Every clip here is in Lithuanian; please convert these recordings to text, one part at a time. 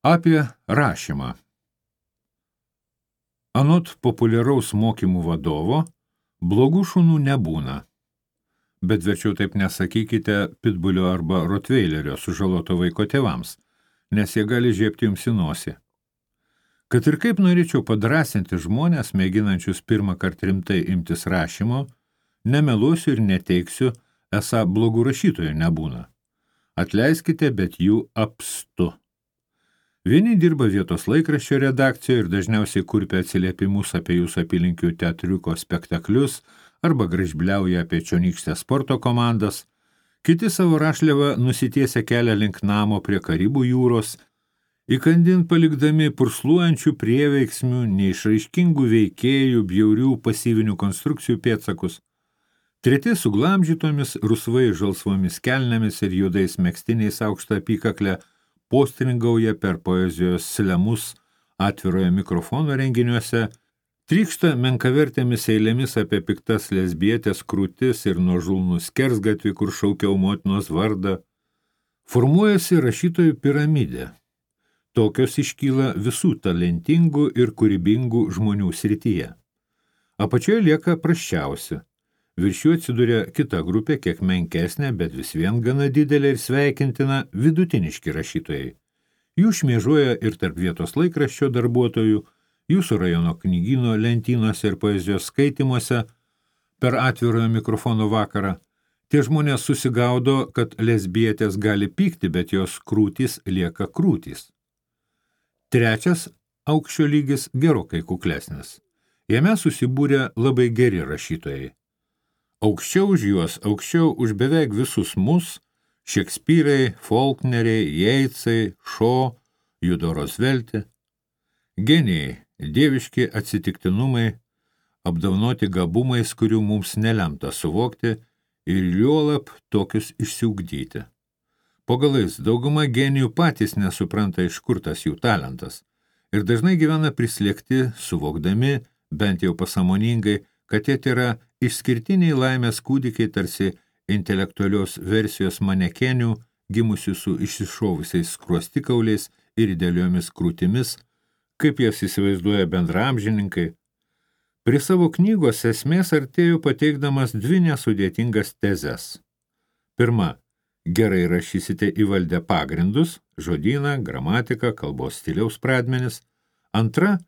Apie rašymą. Anot populiaraus mokymų vadovo, blogų šunų nebūna. Bet verčiau taip nesakykite pitbulio arba rotveilerio sužaloto vaiko tėvams, nes jie gali žiepti jums į nosį. Kad ir kaip norėčiau padrasinti žmonės, mėginančius pirmą kartą rimtai imtis rašymo, nemeluosiu ir neteiksiu, esą blogų rašytojų nebūna. Atleiskite, bet jų apstu. Vieni dirba vietos laikraščio redakcijoje ir dažniausiai kurpia atsiliepimus apie jūsų apylinkių teatriuko spektaklius arba gražbliauja apie čionykštės sporto komandas, kiti savo rašliavą nusitiesia kelią link namo prie Karibų jūros, įkandin palikdami pursluojančių prieveiksmių, neišraiškingų veikėjų, bjaurių pasyvinių konstrukcijų pėdsakus, treti su glamžytomis, rusvai žalsvomis kelnėmis ir juodais megztiniais aukštą apykaklę postringauja per poezijos slemus atviroje mikrofono renginiuose, trykšta menkavertėmis eilėmis apie piktas lesbietės krūtis ir nuožulnų skersgatvį, kur šaukiau motinos vardą. Formuojasi rašytojų piramidė. Tokios iškyla visų talentingų ir kūrybingų žmonių srityje. Apačioje lieka prasčiausi. Virš jų atsiduria kita grupė, kiek menkesnė, bet vis vien gana didelė ir sveikintina vidutiniški rašytojai. Jų šmėžuoja ir tarp vietos laikraščio darbuotojų, jūsų rajono knygyno lentynose ir poezijos skaitymuose per atvirojo mikrofono vakarą. Tie žmonės susigaudo, kad lesbietės gali pykti, bet jos krūtys lieka krūtys. Trečias aukščio lygis gerokai kuklesnis. Jame susibūrė labai geri rašytojai. Aukščiau už juos, aukščiau už beveik visus mus, Šekspyrai, Faulkneriai, Jeitsai, Šo, Judo Rozvelti, genijai, dieviški atsitiktinumai, apdovanoti gabumais, kurių mums nelemta suvokti ir juolab tokius išsiugdyti. Po galais dauguma genijų patys nesupranta, iš kur tas jų talentas ir dažnai gyvena prislėgti, suvokdami, bent jau pasąmoningai, kad jie yra išskirtiniai laimės kūdikiai tarsi intelektualios versijos manekenių, gimusių su išsišovusiais skruostikauliais ir idealiomis krūtimis, kaip jas įsivaizduoja bendraamžininkai. Prie savo knygos esmės artėjau pateikdamas dvi nesudėtingas tezes. Pirma, gerai rašysite įvaldę pagrindus, žodyną, gramatiką, kalbos stiliaus pradmenis. Antra,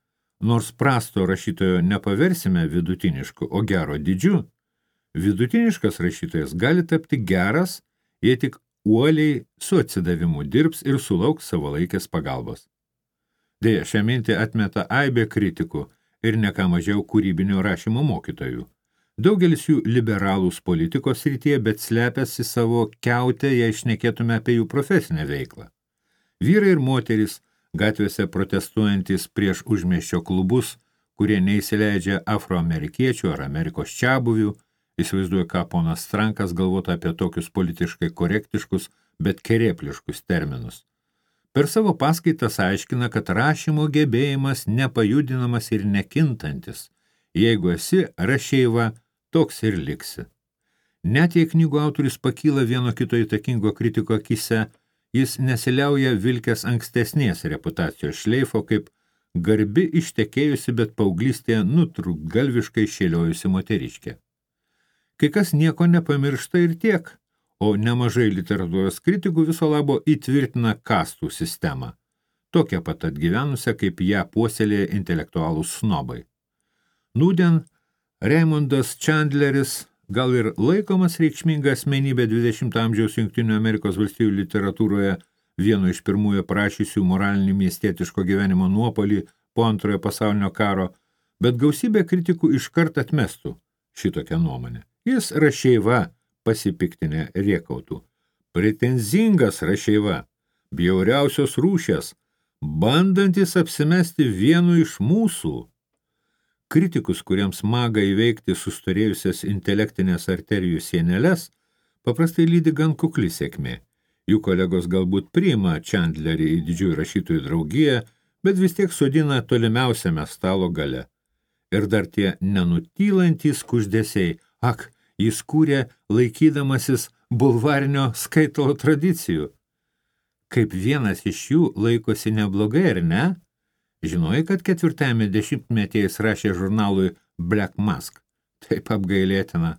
nors prasto rašytojo nepaversime vidutinišku, o gero didžiu, vidutiniškas rašytojas gali tapti geras, jei tik uoliai su atsidavimu dirbs ir sulauks savalaikės pagalbos. Deja, šią mintį atmeta aibė kritikų ir ne ką mažiau kūrybinio rašymo mokytojų. Daugelis jų liberalūs politikos srityje, bet slepiasi savo kiautę, jei šnekėtume apie jų profesinę veiklą. Vyrai ir moterys, gatvėse protestuojantis prieš užmiesčio klubus, kurie neįsileidžia afroamerikiečių ar Amerikos čiabuvių, įsivaizduoja, ką ponas Strankas galvotų apie tokius politiškai korektiškus, bet kerėpliškus terminus. Per savo paskaitas aiškina, kad rašymo gebėjimas nepajudinamas ir nekintantis. Jeigu esi rašeiva, toks ir liksi. Net jei knygų autorius pakyla vieno kito įtakingo kritiko akise, jis nesiliauja vilkęs ankstesnės reputacijos šleifo, kaip garbi ištekėjusi, bet paauglystėje nutrūktgalviškai šėliojusi moteriškė. Kai kas nieko nepamiršta ir tiek, o nemažai literatūros kritikų viso labo įtvirtina kastų sistemą, tokią pat atgyvenusią, kaip ją puoselėja intelektualūs snobai. Nūdien Raimundas Chandleris, gal ir laikomas reikšminga asmenybė 20 amžiaus Jungtinių Amerikos valstijų literatūroje, vieno iš pirmųjų aprašysių moralinį miestietiško gyvenimo nuopolį po antrojo pasaulinio karo, bet gausybė kritikų iškart atmestų šitokią nuomonę. Jis rašeiva, pasipiktinę rėkautų. Pretenzingas rašeiva, bjauriausios rūšies, bandantis apsimesti vienu iš mūsų. Kritikus, kuriems maga įveikti sustorėjusias intelektinės arterijų sieneles, paprastai lydi gan kukli sėkmė. Jų kolegos galbūt priima Chandlerį į didžiųjų rašytojų draugiją, bet vis tiek sodina tolimiausiame stalo gale. Ir dar tie nenutylantys kuždesiai, jis kūrė laikydamasis bulvarinio skaitalo tradicijų. kaip vienas iš jų laikosi neblogai, ar ne? Žinojai, kad 4-ame dešimtmetyje jis rašė žurnalui Black Mask. Taip apgailėtina.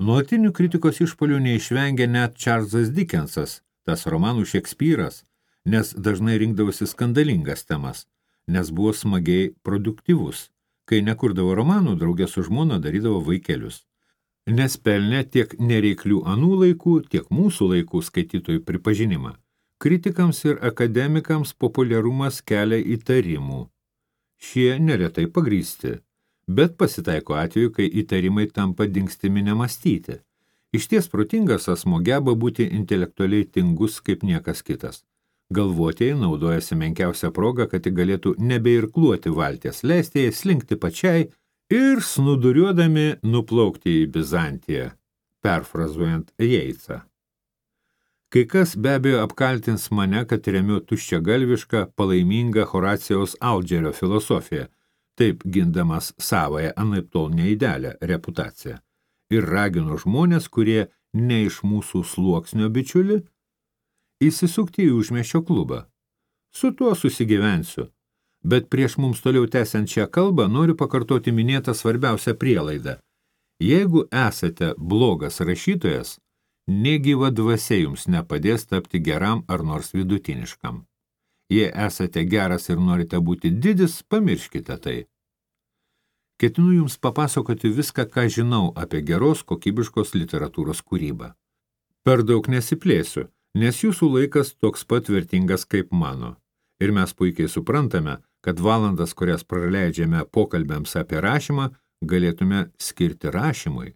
Nuolatinių kritikos išpuolių neišvengė net Čarlzas Dickensas, tas romanų Šekspyras, nes dažnai rinkdavosi skandalingas temas, nes buvo smagiai produktyvus. Kai nekurdavo romanų, draugė su žmona darydavo vaikelius. Nes pelnė tiek nereiklių anų laikų, tiek mūsų laikų skaitytojų pripažinimą. Kritikams ir akademikams populiarumas kelia įtarimų. Šie neretai pagrįsti, bet pasitaiko atveju, kai įtarimai tampa dingstimi nemąstyti. Išties protingas asmo geba būti intelektualiai tingus kaip niekas kitas. Galvotieji naudojasi menkiausią progą, kad galėtų nebeirkluoti valties, leisti jai slinkti pačiai ir snuduriuodami nuplaukti į Bizantiją, perfrazuojant Yeatsą. Kai kas be abejo apkaltins mane, kad remiu tuščiagalvišką, palaimingą Horacijaus Algerio filosofiją, taip gindamas savąją anaiptol neidealią reputaciją, ir raginu žmonės, kurie ne iš mūsų sluoksnio bičiuli, įsisukti į užmiesčio klubą. Su tuo susigyvensiu, bet prieš mums toliau tęsiant šią kalbą noriu pakartoti minėtą svarbiausią prielaidą. Jeigu esate blogas rašytojas, negyva dvasia jums nepadės tapti geram ar nors vidutiniškam. Jei esate geras ir norite būti didis, pamirškite tai. Ketinu jums papasakoti viską, ką žinau apie geros kokybiškos literatūros kūrybą. Per daug nesiplėsiu, nes jūsų laikas toks pat vertingas kaip mano. Ir mes puikiai suprantame, kad valandas, kurias praleidžiame pokalbėms apie rašymą, galėtume skirti rašymui.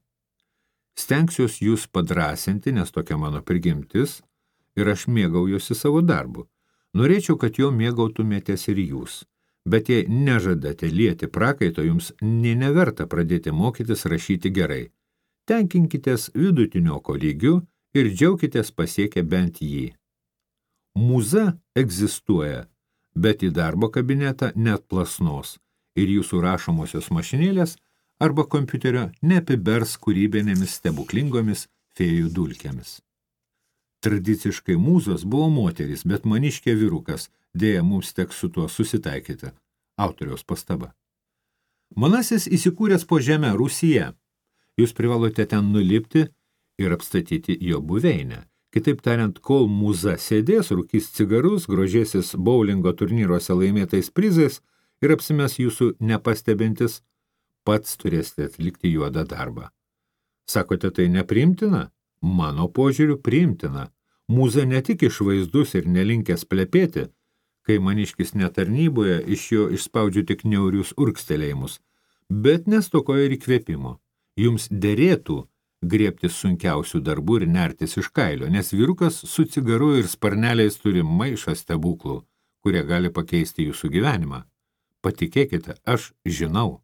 Stengsiuos jūs padrasinti, nes tokia mano prigimtis, ir aš mėgaujuosi savo darbu. Norėčiau, kad jo mėgautumėtės ir jūs, bet jei nežadate lieti prakaito, jums neverta pradėti mokytis rašyti gerai. Tenkinkitės vidutinioko lygiu ir džiaukitės pasiekę bent jį. Mūza egzistuoja, bet į darbo kabinetą net plasnos ir jūsų rašomosios mašinėlės arba kompiuterio neapibers kūrybinėmis stebuklingomis fėjų dulkėmis. Tradiciškai mūzos buvo moteris, bet maniškė vyrukas, dėja mums teks su tuo susitaikyti. Autoriaus pastaba. Manasis įsikūręs po žemę Rūsyje. Jūs privalote ten nulipti ir apstatyti jo buveinę. Kitaip tariant, kol mūza sėdės, rūkys cigarus, grožėsis boulingo turnyruose laimėtais prizais ir apsimes jūsų nepastebintis, pats turėsite atlikti juodą darbą. Sakote, tai nepriimtina? Mano požiūriu priimtina. Mūza ne tik išvaizdus ir nelinkęs plepėti, kai maniškis netarnyboje iš jo išspaudžiu tik niaurius urkstelėjimus, bet nestokoja ir įkvėpimo. Jums derėtų griebtis sunkiausių darbų ir nertis iš kailio, nes vyrukas su cigaru ir sparneliais turi maišą stebuklų, kurie gali pakeisti jūsų gyvenimą. Patikėkite, aš žinau.